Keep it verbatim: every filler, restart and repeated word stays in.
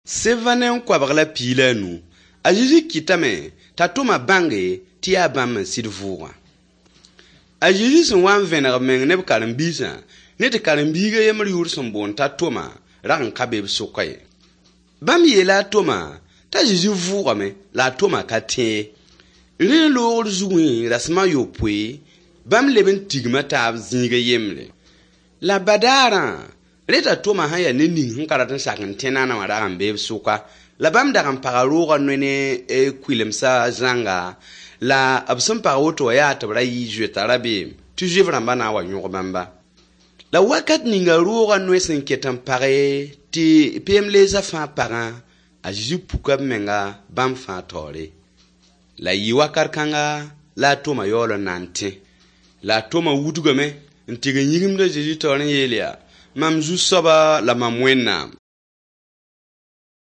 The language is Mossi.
Sevã ne n koabg la piig la a nu. A Zezi kɩtame t'a Toma bãnge tɩ yaa bãmb n sɩd vʋʋgã. A Zezi sẽn wa n vẽneg b meng ne b karen-biisã, ne tɩ karen-biig a yembr yʋʋr sẽn boond t'a Toma rag n ka be b sʋka ye. Bãmb yeela a Toma t'a Zezi vʋʋgame la a Toma ka tẽ ye. Rẽ loogr zugẽ rasem a yopoe, bãmb leb n tigma taab zĩig a yembre. La badaarã, rẽ t'a Toma sẽn yaa ned ning sẽn ka rat n sak n tẽ naana wã rag n bee b sʋka, la bãmb dag n paga roogã noe ne kʋɩlemsã zãnga, la b sẽn pag woto wã yaa tɩ b ra yɩ zoeta rabeem tɩ Zuif-rãmbã na n wa yõg bãmba. La wakat ninga roogã noe sẽn ket n page tɩ peem-leesã fãa pagã, a Zezi puka b menga bãmb fãa taoore. La yɩ wakat kãnga la a Toma yaool n na n tẽ. La a Toma wudgame n tɩg n yĩgimd a Zezi taoor n yeel yaa: mam Zu-soaba la mam Wẽnnaam.